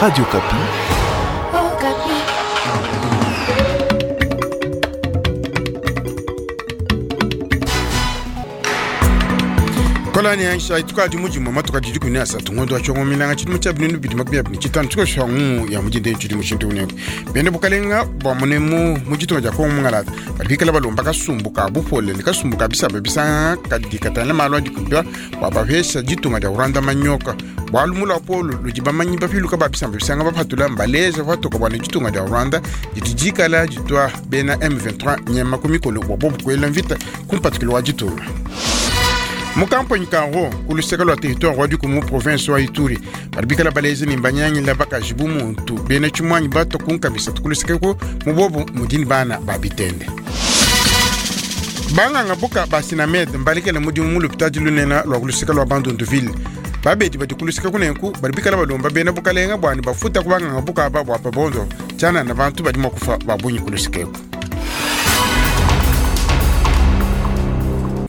Radio Okapi. Okapi. Kolani yansha itukadi mujimu matuka didi kuni asatu ngondo wa chongo minanga chidimu cha binunu bidi makumi abini chitano chiko shangu ya mujinde chidi mushintu unengo bende bukalenga bwa munemu mujitunga ja kongo mungalata badi bikala balomba kasumbu ka bupole ne kasumbu ka bisamba bisa kadi katana malu adi kubya bwa bapesha ditunga dia Rwanda manyoka bwalu mula polo ludi bamanyi bapiluka ba bisamba bisanga bapatula mbaleja patoka bwana ditunga dia Rwanda didi dikala ditwa bena M23 nyama kumikolo bwa bobu kwela mvita kumpatikilo wa ditunga mukampanyi kango kuluseka lwa territoire wa dikumu province wa ituri badi bikala balezi ne mbanyangila bakaji bu muntu bena tshimwanyi bato kunkamisatu kulusekeko mubobu mudini bana ba bitende banganga buka ba sinamed mbalekele mudimu mu lupitadi lunena lwa kuluseka lwa bandunduville babedi badi kuluseka kunenku badi bikala balomba bena bukalenga bwani bafuta ku banganga buka aba bwa pabondo tshianana bantu badi mua kufa babunyi kulusekeko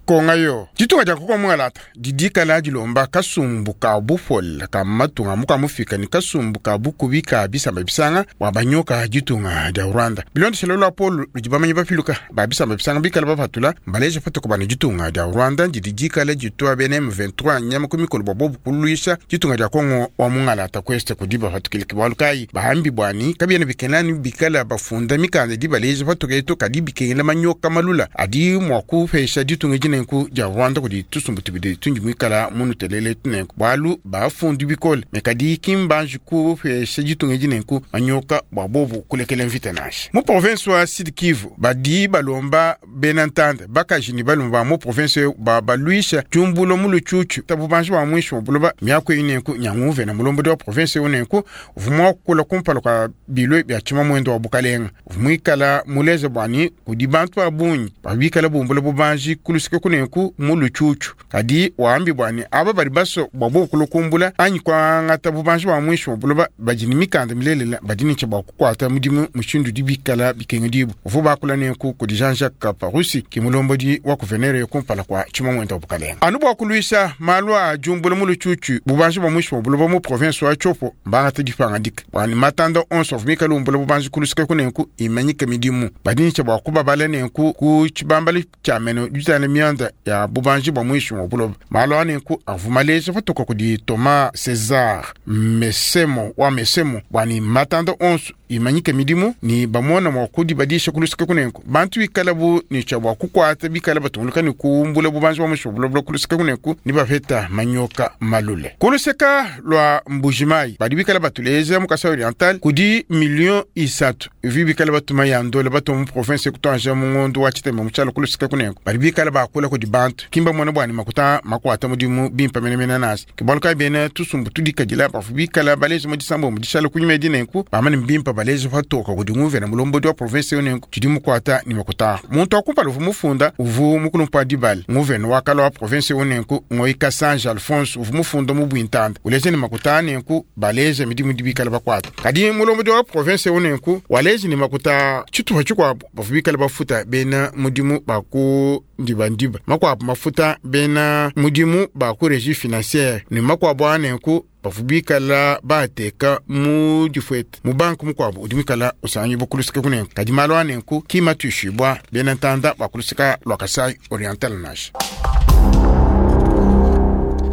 konga yo ditunga dia koko mungalata didikala dilomba kasumbu ka bupole ka matunga muka mufika ni kasumbu ka bukubi ka bisamba bisanga bwa banyoka ditunga dia rwanda bilondeshelo lwa polo ludi bamanyi bapiluka ba bisamba bisanga bikala bapatula mbaleja patoka bana ditunga dia rwanda didi dikala ditwa bena m23 nyama ku mikolo bwa bobu kulwisha ditunga dia kongo wa mungalata kweste kudi bapatukiliki bwalu kayi bahambi bwani kabiena bikenani bikala bafunda mikanda di baleja patoka eto kadi bikengela manyoka malula adi mua kupesha ditunga edi nenku dia rwanda kudi tusumbu tubidi tundi muikala munutelele tunenku bwalu bafundi bikole me kadi kimbanji kupesha ditunga edi nenku manyoka bwa bobu kulekela mvita nansha mu province wa sud kivu badi balomba bena ntanda bakaji ni balomba ba mu province ba balwisha diumbulo mu lutshutshu tabu banji ba mwisho buloba miaku eyi nenku nyanguve na mulombodi wa province ewu nenku uvua kula kumpala kwa bilwe bia tshima mwendo wa bukalenga uvua muikala muleze bwani kudi bantu ba bungi babikala bumbula bubanji kulusika kunenku mu lutshutshu kadi wambi bwani aba badi baso bwa bobu kulukumbula anyi kuangata bubanji bwa mwisho wa buloba badi ni mikanda milelela badi ne tshia bua kukuata mudimu mushindu udi bikala bikengedibu uvua bakula nenku kudi Jean-Jacques Parusi ki mulombodi wa kuvenere kumpala kwa tshima mwendo wa bukalenga anu bua kulwisha malu a diumbula mu lutshutshu bubanji bwa mwisho wa buloba mu province wa Tshopo mbangata dipangadika bwani matanda onso avua mikala umbula bubanji kulusika kunenku imanyike midimu badi ne tshia bua kubabala nenku ku tshibambala tshia meno ditana mianda ya bubanji bwa mwisho wa buloba malu anenku avua maleja patoka kudi Thomas César Mesemo wa Mesemo bwani matanda onso imanyike midimu ni bamona mua kudibadisha kulusika kunenku bantu bikala bu ni tshia bua kukuata bikala batunguluka ni kumbula bubanji bwa mwisho wa buloba kulusika kunenku ni bapeta manyoka malule kuluseka lwa mbujimai badi bikala batuleza mu Kasai Oriental kudi million isatu ivi bikala batuma ya ndola batuma mu province kutanja mu ngondo wa tshitema mu tshialo kulusika kunenku badi bikala bakula kudi bantu kimba mwana bwani makuta makuata mudimu bimpa menemene nasi kibalu kayi bena tusumbu tudikadila bafu bikala baleza mu disambo mu dishala kunyuma edi nenku bamane mbimpa baleza patoka kudi nguvena mulombodi wa province ewu nenku tshidi mukuata ni makuta muntu akumpala uvu mufunda uvu mukulumpa wa dibala nguvena wakala wa province ewu nenku Ngoyi Kasanje Alphonse uvu mufunda mu bwintanda uleze ni makuta nenku baleza midimu dibikala bakuata kadi mulombodi wa province ewu nenku walezi ni makuta tshitupa tshikuabu bafu bikala bafuta bena mudimu baku ndibandiba makuabu mafuta bena mudimu ba ku régie financière ni makuabu anenku bafu bikala bateka mu difuete mu banku mukuabu udi muikala usanyi bukulusika kunenku kadi malu anenku kimatuishibua bena ntanda bakulusika lua Kasai Oriental nasha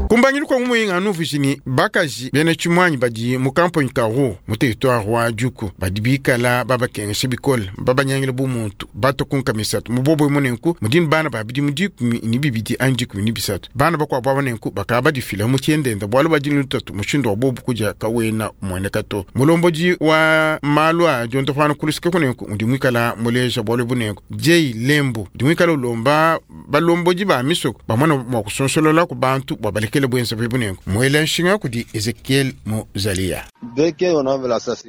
kumbangilu kwa muyinga nuvishini bakaji bena tshimwanyi badi mu kampanyi ka ro mu territoire wa Djuku badi bikala babakengesha bikole babanyangila bu muntu bato kunka misatu mubobo munenku mudini bana babidi mu dikumi ni bibidi anyi dikumi ni bisatu bana bakuabu aba nenku bakaba badifila mu tshiendenda bualu badi ni lutatu mushindu wa bobu kudia kawena mueneka to mulombodi wa malu a diontopana kulusika kunenku udi muikala muleja bualu bunenku Jay Lembo udi muikala ulomba balombodi ba misoko bamona mua kusonsolola ku bantu bua balekele bwenza bwe bunenku mwela nshinga kudi Ezekiel Muzalia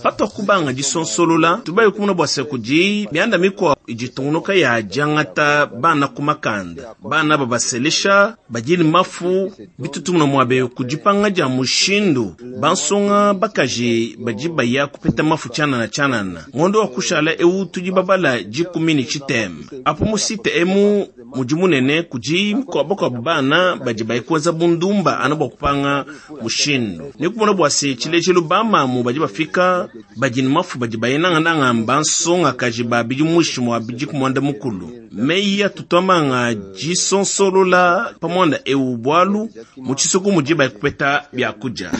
patwa kubanga disonsolola tubayi kumuna bua se kudi mianda mikua iditungunuka ya diangata bana ku makanda bana babaselesha badili mafu bitutumuna muabe kudipanga dia mushindu bansonga bakaji badi baya kupeta mafu tshianana tshianana ngondo wa kushala ewu tudi babala dikumi ne tshiteme apo mu site emu Mudi munene kudi bakuabu bana badi baye kuenza bundumba anu bua kupanga mushindu. Ne kumona bua se tshilejelu bamamu badi bafika badi ne mafu badi baye nangananga bansongakaji ba bidi muinshi mua bidi ku muanda mukulu. Meyi atutuamanga disonsolola pa muanda ewu bualu mu tshisoko mudi baye kupeta biakudia.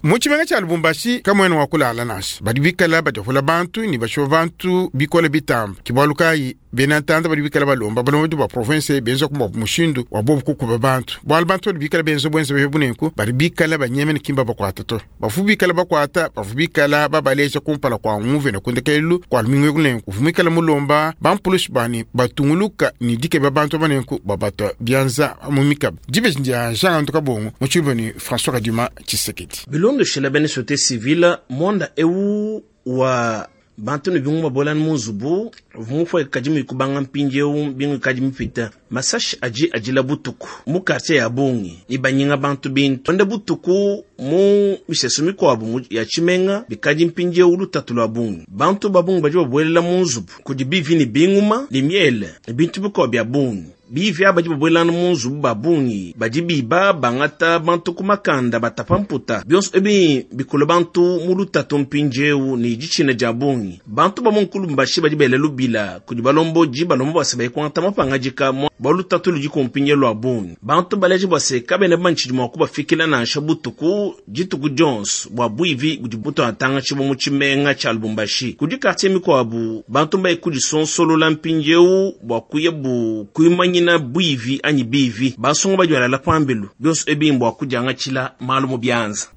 Mu tshimenga tshia Lubumbashi kamuena wa kulala nansha, badi bikala badiapula bantu ne bashipa bantu bikole bitamba. Ke bualu kayi bena ntanda badi bikala balomba balombodi ba province benza ku mushindu wa bobu kukuba bantu, bualu bantu badi bikala benza buenza behe bunenku badi bikala banyemene kimba bakuata to. Bavu bikala bakuata bavu bikala babaleja kumpala kua nguvena kundekelu kua lumingu kunenku uvu muikala mulomba bampulushi bani batunguluka ne dikeba bantu banenku babatwa bianza mu mikaba. Dibeji ndia Jean Antu Kabongo mu tshiluba ne François Kadima Tshisekedi. Bilondeshela bena société civile mwanda ewu wa bantu ne bingu babolani mu nzubu mufue kadi mikubanga mpindieu bingu kadi mipita masashi adi adila butuku mu quartier ya bungi ne banyinga bantu bintu ende butuku mu misesu mikuabu ya tshimenga bikadi mpindieu lutatu lua bungi bantu ba bungi badi babuelela mu nzubu kudi bivi ne binguma ne miele ne bintu bikuabu bia bungi. Bivi aba badi babuelana mu nzubu ba bungi badi biba bangata bantu ku makanda batapa mputa bionso ebi bikula bantu mu lutatu mpindieu ne ditshina dia bungi. Bantu ba mu Nkulumbashi badi bela lubila kudi balombodi balomba bua se baye kuangata mapangadika bua lutatu ludi ku mpindieu lua bungi. Bantu baleje bua se kabena bamanye mua kubafikila nansha butuku dituku dionso bua buivi budi butuatangatshibua mu tshimenga tshia Lubumbashi. Kudi quartier mikuabu bantu mbaye kudisonsolola mpindieu bua kuya bu kuimanyina buivi anyi bivi. Basonga badi balala pambelu bionso ebi mbua kudiangatshila malu mu bianza.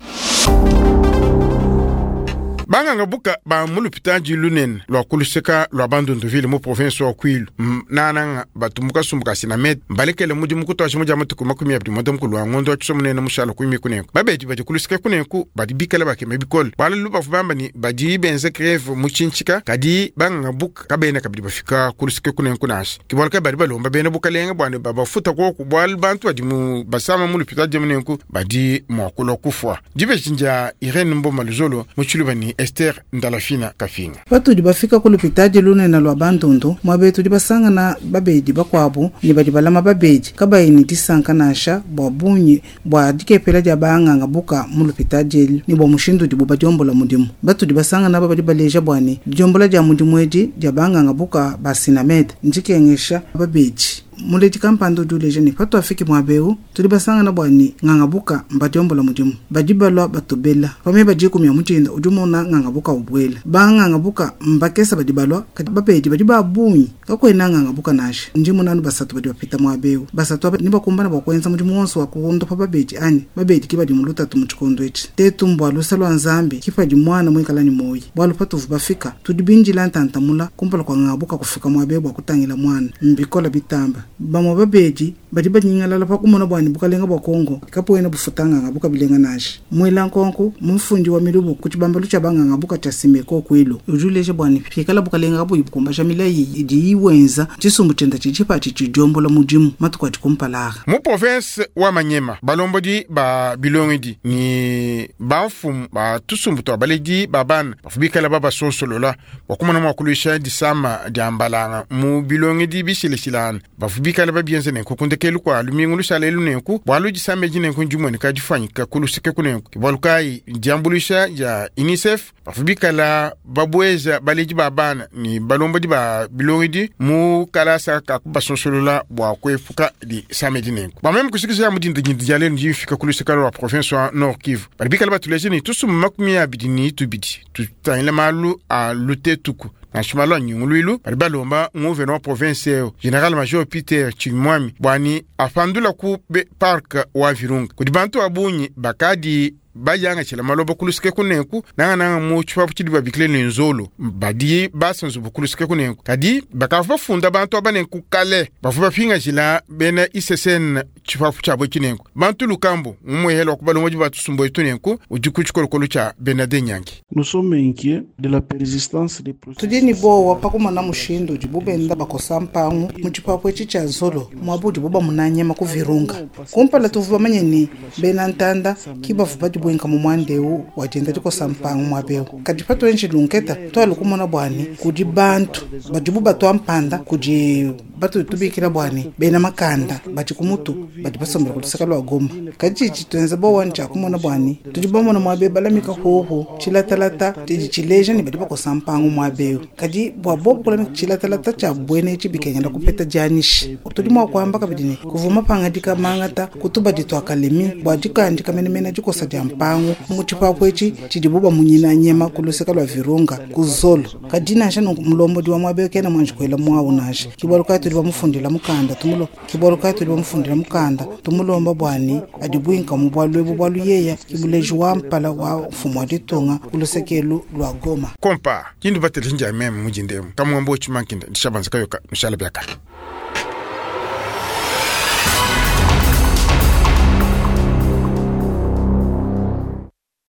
Banganga buka ba mu lupitadi lunene lua kuluseka lua Bandunduville mu province wa Kwilu nananga batu mu kasumbu ka Sinamed mbalekele mudimu kutuashi mudia matuku 25 wa ngondo wa tshiso munene mushala kuimi kunenku. Babedi badi kuluseka kunenku badi bikala bakema bikole bualu lubavu bamba ni badi benza greve mu tshintshika kadi banganga buka kabena kabidi bafika kuluseka kunenku nansha. Ke bualu kayi badi balomba bena bukalenga bua ne babafuta koku bualu bantu badi mu basama mu lupitadi munenku badi mua kulua kufua. Dibeji ndia Irene Mboma Luzolo mu tshiluba ni Esther Ndalafina Kafinga. Patudi bafika ku lupitadi lunene lua Bandundu muabe tudi basangana babedi bakuabu ne badi balama babedi kabayi ne disanka nansha bua bungi bua dikepela dia banganga buka mu lupitadi elu ne bua mushindu udibu badiombola mudimu. Batudi basangana aba badi baleja bua ne diombola dia mudimu edi dia banganga buka ba Sinamed ndikengesha babedi. Muledi kampanda udi uleja ne patuafiki muabe tudi basangana bua ne nganga buka mbadiombola mudimu badi balua batobela pame badi kumya mutinda udi umona nganga buka ubwela banganga buka mbakesa badi balua kadi babedi badi ba bungi kakwena nganga buka nansha ndi munanu basatu badi bapita muabe basatu aba ni bakumbana bua kuenza mudimu wonso wa kuondopa babedi anyi babedi ki badi mu lutatu mu tshikondo etshi tetu mbua lusa lua nzambi kipadi mwana muikala ni moyi bualu patuvu bafika tudi bindila ntantamula kumpala kua nganga buka kufika muabe bua kutangila mwana mbikola bitamba. Bamwe babedi badi banyingalala pa kumona bwani bukalenga bwa Kongo kapoena bufutanganga bukabilenga nansha. Mwela nkonko mumfundi wa milubu ku tshibambalu tshia banganga buka tshia Simeko Kwilu udi uleja bwani pikala bukalenga kabuyi bukumbaja milayi idi iwenza tshisumbu tshienda tshidi patshi tshidiombola mudimu matuku adi kumpala. Mu province wa Manyema balombodi ba bilongedi ni bamfumu ba tusumbu twa baledi ba bana bafu bikala babasonsolola bua kumona mua kuluisha disama dia mbalanga mu bilongedi bishileshilana bafu bikala babienze nenku kundekelu kua lumingu lushala elu nenku bualu disama edi nenku ndimueneka difanyika kuluseke kunenku bualu kayi diambuluisha dia UNICEF bafu bikala babueza baledi ba bana ni balombodi ba bilongedi mu kalasa ka kubasonsolola bua kuepuka disama edi nenku. Bameme kushikisha mudinda dia lelu ndifika kuluseka lua province wa Nord Kivu badi bikala batuleje ni tusumbu 22 tutangila malu a lutetuku nansha malu a nyunguluilu badi balomba nguvena wa province eo General Major Peter Chimwami bwani apandula ku park wa Virunga kudi bantu abunyi bakadi bayangatshila maloba kuluseke kunenku nangananga mu tshipapu tshidi babikile ne nzolo badi basanzu kuluseke kunenku kadi bakava bafunda bantu aba nenku kale bavua bapingajila bena ICCN tshipapu tshiabo tshinenku bantu lukambo mumuehela wa kubalomba batusumbu etu nenku udi ku tshikolokolo tshia Bernard Nyangi. Nous sommes inquiets de la persistance des tudi ni bowa pakumona mushindu udibu benda bakosa mpangu mu tshipapu etshi tshia nzolo muabu udibu bamunanyema ku Virunga kumpala tuvu bamanye ni bena ntanda ki bavu badi bwenka mu mwandeu wadienda dikosa mpangu muabeu kadi patuenji lunketa twali kumona bwani kudi bantu badibu batwa mpanda kudi Batudi tubikila bua ne bena makanda badi ku mutu badi basombela ku luseke lua Goma. Kadi tshidi tshituenza bowa ntshia kumona bua ne tudi bamona muaba eu balamika hoho tshilatalata tshidi tshileja ne badi bakosa mpangu muaba eu. Kadi bua bobu kulamika tshilatalata tshia buena etshi bikengela kupeta dianyisha. Tudi mua kuamba kabidi ne, kuvua mapangadika mangata ku tubadi tua Kalemi bua dikandika menemene dikosa dia mpangu mu tshipapu etshi tshidibu bamunyina nyema ku luseke lua Virunga ku Zolo. Kadi nansha nunku mulombodi wa muaba eu kena muanji kuela muawu nansha. Ke bualu kayi tudi bamufundila mukanda tumulo ke bualu kayi tudi bamufundila mukanda tumulomba bua ne adibuinka mu bualu ebu bualu yeya ke muleji wa mpala wa mfumu wa ditunga ku luseke elu lua Goma. Kompa, kindu bateleji ndia meme mujindemu, kamuambo tshimankinda, ndishabanza kayoka, nushala biakane.